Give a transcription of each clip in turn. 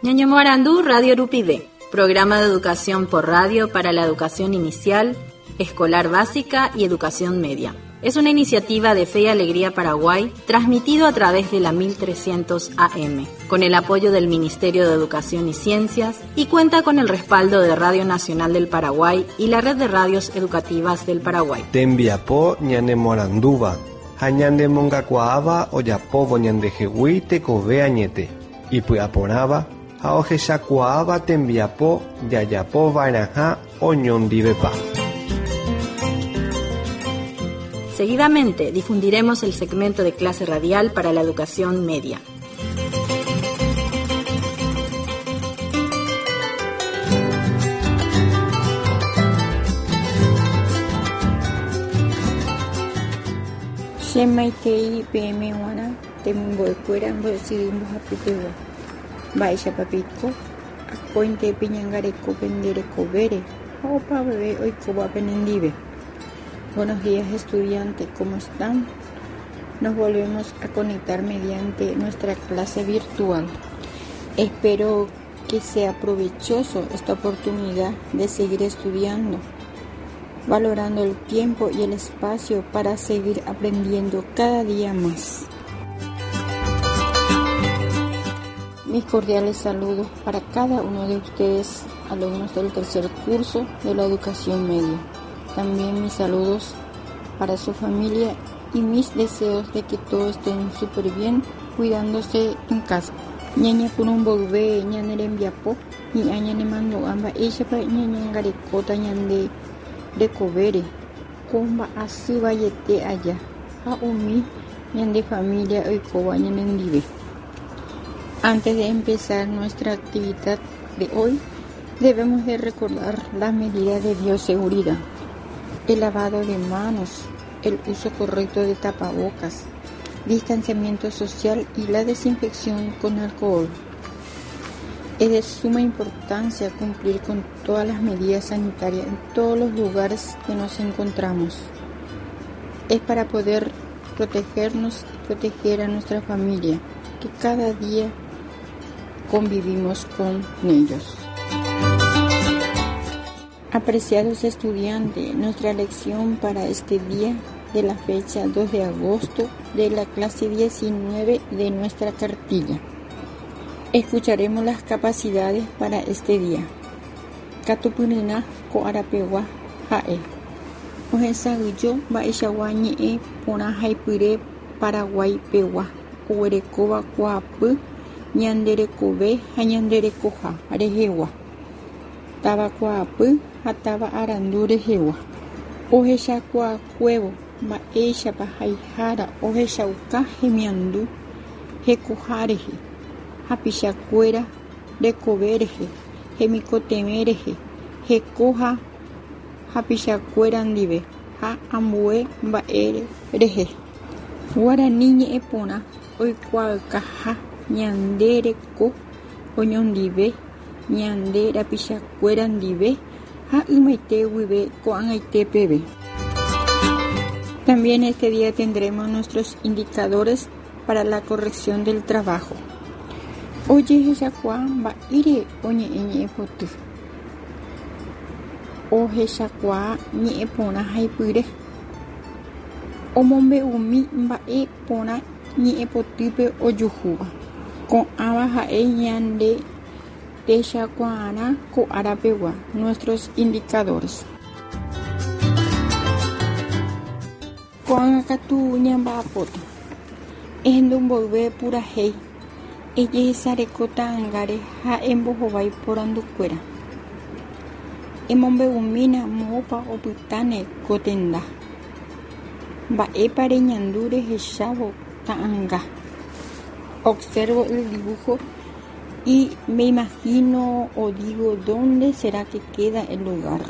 Ñañomoarandu Radio Rupive, programa de educación por radio para la educación inicial, escolar básica y educación media. Es una iniciativa de Fe y Alegría Paraguay, transmitido a través de la 1300 AM, con el apoyo del Ministerio de Educación y Ciencias y cuenta con el respaldo de Radio Nacional del Paraguay y la Red de Radios Educativas del Paraguay. Tembiapo ñanemoarandúva ha ñanemongakuaáva ojapóvo ñandehegui tekove añete, ipy'aporãva ha ohechakuaáva tembiapo jajapova'erãha oñondivepa. Seguidamente difundiremos el segmento de clase radial para la educación media. Che maitei peẽme g̃uarã temimbo'ekuéra mbo'esyry mbohapypegua. Mba'éichapa peiko? Akóinte peñangareko pende rekovére ha opavave oikóva penendive. Buenos días estudiantes, ¿cómo están? Nos volvemos a conectar mediante nuestra clase virtual. Espero que sea provechoso esta oportunidad de seguir estudiando, valorando el tiempo y el espacio para seguir aprendiendo cada día más. Mis cordiales saludos para cada uno de ustedes, alumnos del tercer curso de la educación media. También mis saludos para su familia y mis deseos de que todos estén súper bien cuidándose en casa. Ñañepyrũ mboyve ñane rembiapo, hi'ã ñanemandu'a mba'éichapa ñañangarekóta ñande rekovére ko mba'asy vaiete aja ha umi ñande familia oikóva ñanendive. Antes de empezar nuestra actividad de hoy, debemos de recordar las medidas de bioseguridad. El lavado de manos, el uso correcto de tapabocas, distanciamiento social y la desinfección con alcohol. Es de suma importancia cumplir con todas las medidas sanitarias en todos los lugares que nos encontramos. Es para poder protegernos y proteger a nuestra familia, que cada día convivimos con ellos. Apreciados estudiantes, nuestra lección para este día de la fecha 2 de agosto de la clase 19 de nuestra cartilla. Escucharemos las capacidades para este día. Katupyryrã ko arapegua ha'e. Ohesa'ỹijo mba'eichagua ñe'ẽ porã haipyre Paraguái pegua oguerekóva kuaapy ñande rekove ha ñande rekoha rehegua, tavakuaapy ha táva arandu rehegua. Ohechakuaakuévo mba'éichapa haihára ohechauka hemiandu hekoha rehe, hapichakuéra rekove rehe, hemikotevẽ rehe, heko ha hapichakuéra ndive ha ambue mba'e rehe. Guarani ñe'ẽ porã oikuaaukaha ñande reko oñondive, ñande rapichakuéra ndive ha ymaite guive ko'ag̃aite peve. También este día tendremos nuestros indicadores para la corrección del trabajo. Ojehechakuaa mba'ére oñe'ẽ ñe'ẽpoty. Ohechakuaa ñe'ẽporã haipyre. Omombe'umi mba'e porã ñe'ẽpotýpe ojuhúva. Ko'ãva ha'e ñande techakuaarã ko árapegua, nuestros indicadores. Ko'ág̃a katu ñamba'apóta. Ehendu mboyve purahéi, ejehesareko ta'ãngáre ha embohovái porandukuéra. Emombe'umína moõpa opytáne ko tenda. Mba'épa reñandu rehechávo ta'ãnga. Observo el dibujo y me imagino o digo dónde será que queda el lugar.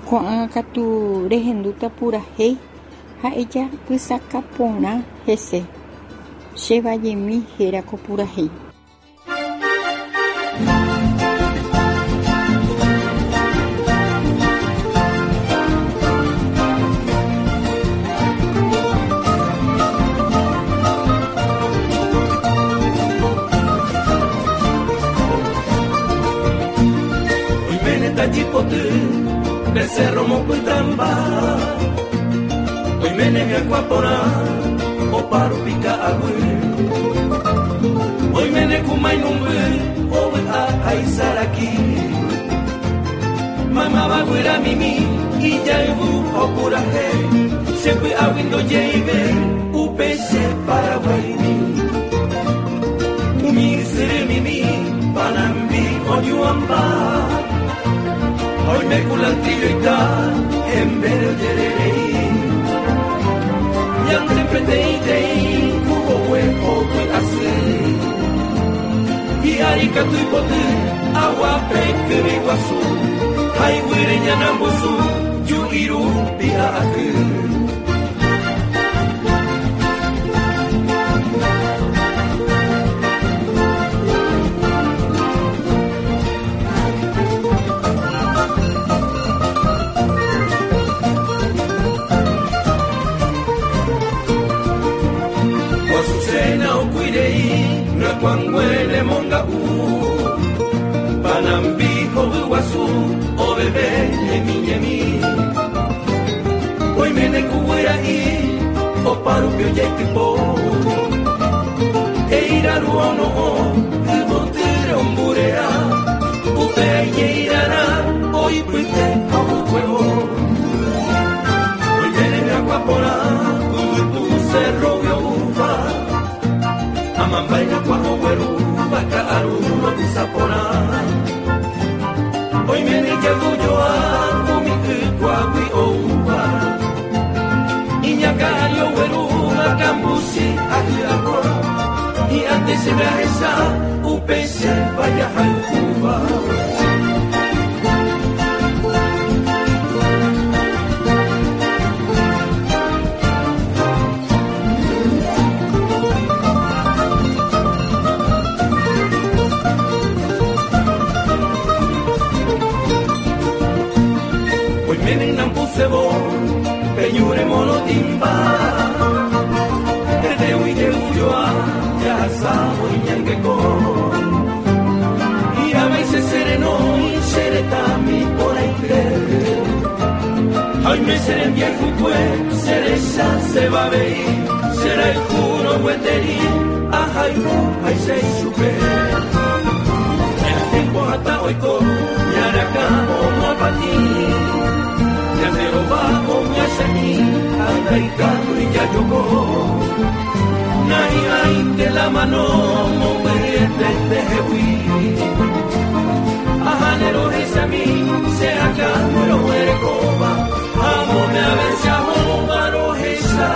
Ko'ág̃a katu rehendúta purahéi ha ejapysaka porã hese. Che vallemi héra ko purahéi. Cerro mopytãmba Oiméne hyakuã porã Oparupi ka'aguy Oiméne ku mainumby Ovy'a ha isaraki Maymáva guyramimi Ijayvu ha opurahéi Che py'águi ndojeivéi Upe che Paraguaimi Umi ysyry mimi Panambi oñuamba Oime culantrilloita Hembére ojererei Ñande peteĩteĩ Ku hogue hogue asy Hi'ári katu ipoty Aguape kyvi guasu Ha iguýre ñanambusu Ju'i rupi a'aky. Azucena okuirei Ryakuãngue nemonga'u Panambi hovy guasu oveve ñemi ñemi Oiméne ku guyra'i Opárupi ojaitypo Eiraru ono'õ yvotýre omburea Upe aijeirarã oipyte ha ohykue'o Oiméne hyakuã porã yvytu cerro-gui oúva Amambái hyakuã oguerúva ka'aru ro'ysã porã Oiméne ijayvujoa umi ykuágui oúva Iñakã ári oguerúva kambuchi ha hyakuã Hi'ãnte chéve ahecha upe che vajahayhúva. Oiméne ynambusévo pe ñu remorotĩmba, Tetégui jey'ujoa jahasávo iñangeko. Hi'ãvaise che renói che retãmi porãite, Ha oime che rembiayhukue che rechaseva avei, che rayhúrõ gueteri ahayhu háicha ichupe. Ñane tiempo hatã oiko ñane akã omoapatĩ, ñande rova omyasã'i ha ndaikatúi jajoko. Nahi'ãinte la mano mombyryete ndehegui. Aháne rohechami che akãme roguerekóva, amóme avese ahóva rohecha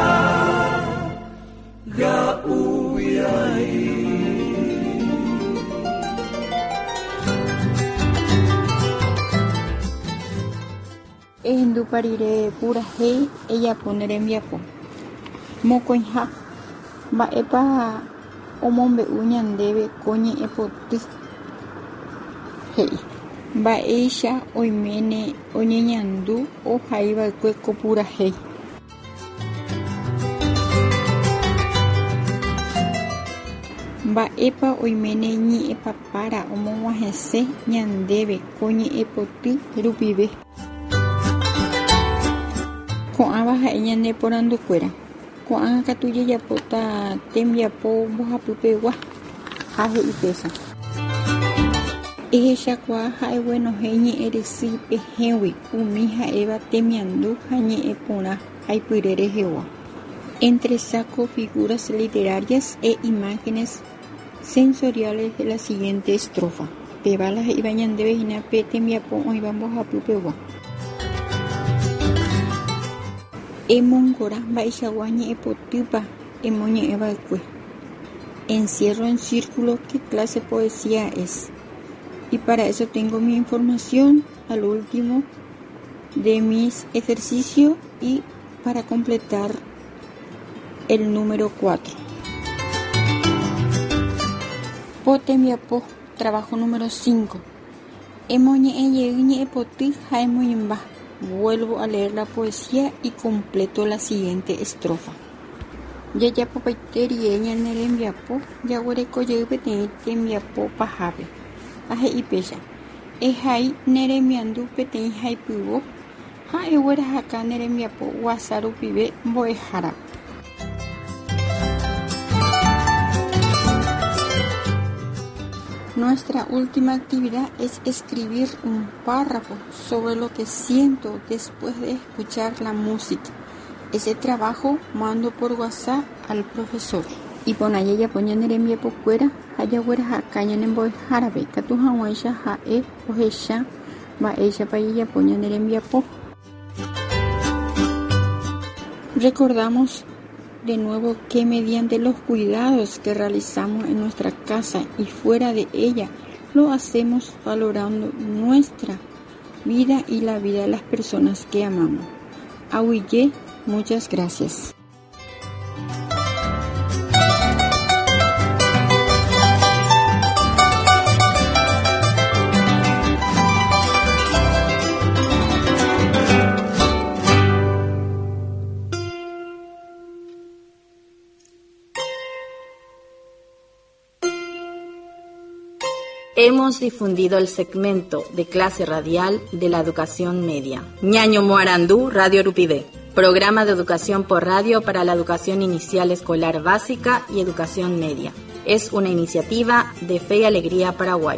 ga'uviái. Ehendupa rire purahéi ejapo ne rembiapo. Mokõiha. Mba'épa omombe'u ñandéve ko ñe'ẽpoty? He'i. Mba'éicha oiméne oñeñandu ohaiva'ekue ko purahéi. Mba'épa oiméne ñe'ẽpapára omog̃uahẽse ñandéve ko ñe'ẽpoty rupive. Ko'ãva ha'e ñane porandukuéra. Ko'ág̃a katu jajapóta tembiapo mbohapypegua ha he'i péicha. Ehechakuaa ha eguenohẽ ñe'ẽrysýi pehẽgui umi ha'éva temiandu ha ñe'ẽ porã haipyre rehegua. Entresaco figuras literarias e imágenes sensoriales de la siguiente estrofa. Péva la he'íva ñandéve hína pe tembiapo oĩva mbohapypegua. Emongora mba'eichagua ñe'ẽpotýpa emoñe'ẽva'ekue. Encierro en círculo qué clase de poesía es. Y para eso tengo mi información al último de mis ejercicios y para completar el número 4. Po tembiapo, trabajo número 5. Emoñe'ẽjey ñe'ẽpoty ha emoĩmba. Vuelvo a leer la poesía y completo la siguiente estrofa. Jajapopaite rire ñane rembiapo jaguerekojey peteĩ tembiapo pahápe. Ha he'i péicha. Ehai ne remiandu peteĩ haipyvo. Ha eguerahaka ne rembiapo WhatsApp rupive mbo'ehárape. Nuestra última actividad es escribir un párrafo sobre lo que siento después de escuchar la música. Ese trabajo mando por WhatsApp al profesor. Iporã jajapo ñane rembiapokuéra ha jaguerahaka ñane mbo'ehárape ikatu hag̃uáicha ha'e ohecha mba'éichapa jajapo ñane rembiapo. Recordamos de nuevo que mediante los cuidados que realizamos en nuestra casa y fuera de ella, lo hacemos valorando nuestra vida y la vida de las personas que amamos. Aguyje, muchas gracias. Hemos difundido el segmento de clase radial de la educación media. Ñaño Moarandú, Radio Rupivé. Programa de educación por radio para la educación inicial escolar básica y educación media. Es una iniciativa de Fe y Alegría Paraguay.